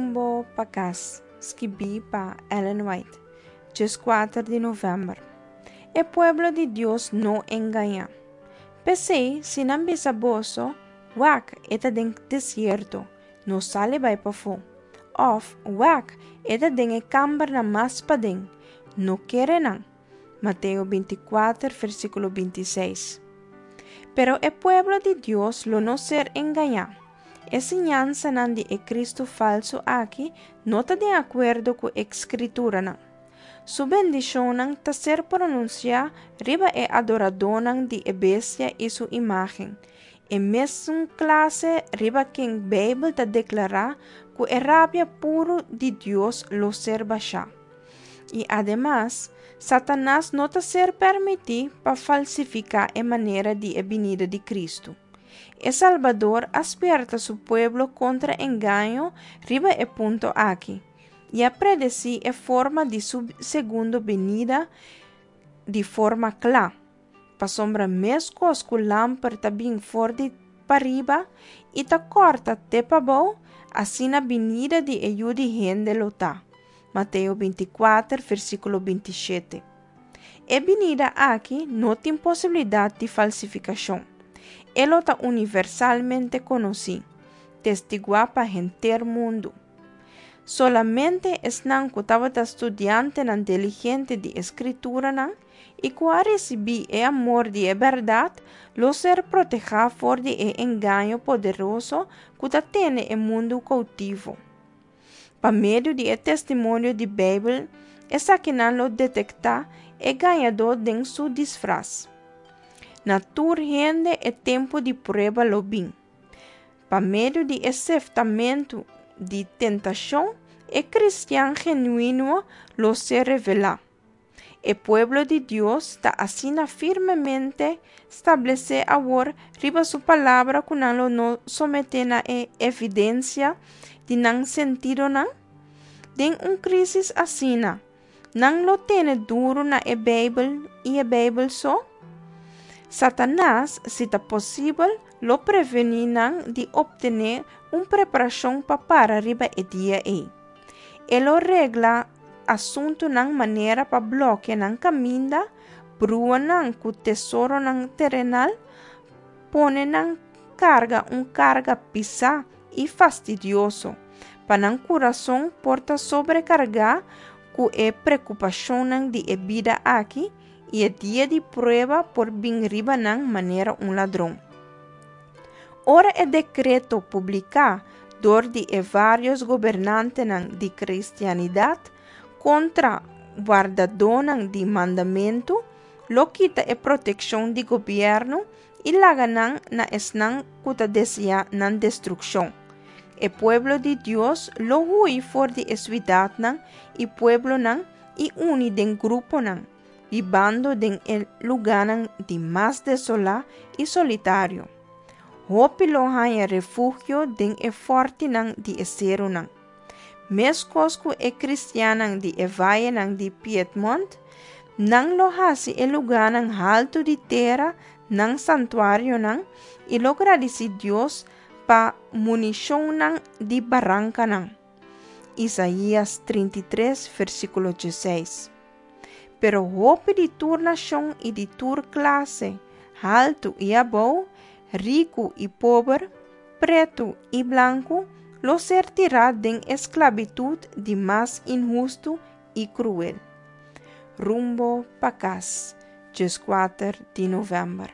Rumbo pa Kas, skibí pa Ellen White, 14 di novèmber. E pueblo di Dios no engañá. P'esei, si nan bisa boso, Wak, e ta den desierto, no sali bai pafó. Òf, Wak, e ta den e kambernan mas paden, no kere nan. Mateo 24, versíkulo 26. Pero e pueblo di Dios lo no ser engañá. E siñansanan di e Kristu falsu aki no ta den akuerdo ku e Skrituranan. Su bendishonnan ta ser pronunsiá riba e adoradónan di e bestia i su imágen, e mesun klase riba ken Beibel ta deklará ku e rabia puru di Dios lo ser bashá. I ademas, Satanas no ta ser permití pa falsifiká e manera di e binida di Kristu. E Salbador a spièrta su pueblo kontra engaño riba e punto aki, i a predesí e forma di su segundo binida di forma kla, pasobra meskos ku lamper ta bin for di pariba i ta kòrta te pabou, asina binida di e Yu di hende lo ta. Mateo 24, versíkulo 27. E binida aki no tin posibilidat di falsifikashon. E lo ta universalmente konosí, testiguá pa henter mundu. Solamente esnan ku tabata studiantenan diligente di e Skrituranan i ku a risibí e amor di e bèrdat lo ser protehá for di e engaño poderoso ku ta tene e mundu koutivo. Pa medio di e testimonio di Beibel, esakinan lo detektá e gañadó den su disfras. Na tur hende e tempu di prueba lo bin. Pa medio di e seftamentu di tentashon, e kristian genuino lo ser revelá. E pueblo di Dios ta asina firmemente stablesé awor riba su Palabra ku nan lo no someté na e evidensia di nan sentidonan? Den un krísis asina, nan lo tene duru na e Beibel i e Beibel so? Satanas, si ta posibel, lo prevení nan di optené un preparashon pa para riba e dia ei. E lo regla asuntunan manera pa blòkia nan kaminda, brua nan ku tesoronan terenal, pone nan karga un karga pisá i fastidioso, pa nan kurason por ta sobrekargá ku e preokupashonnan di e bida aki i e dia di prueba por bin riba nan manera un ladron. Ora e dekreto publiká dor di e vários gobernantenan di kristianidat kontra wardadónan di mandamentu lo kita e protekshon di gobièrnu i laga nan na esnan ku ta deseá nan destrukshon. E pueblo di Dios lo hui for di e siudatnan i pueblonan i uni den gruponan, bibando den e lugánan di mas desolá i solitario. Hopi lo haña refugio den e fòrtinan di e serunan. Meskos ku e kristiannan di e vayenan di Piedmont, nan lo hasi e lugánan haltu di tera nan santuarionan i lo gradisí Dios pa munishonnan di barankanan. Isaías 33, versíkulo 16. Pero hopi di tur nashon i di tur klase, haltu i abou, riku i pober, pretu i blanku, lo ser tirá den e sklabitut di mas inhustu i kruel. Rumbo pa kas, 14 di novèmber.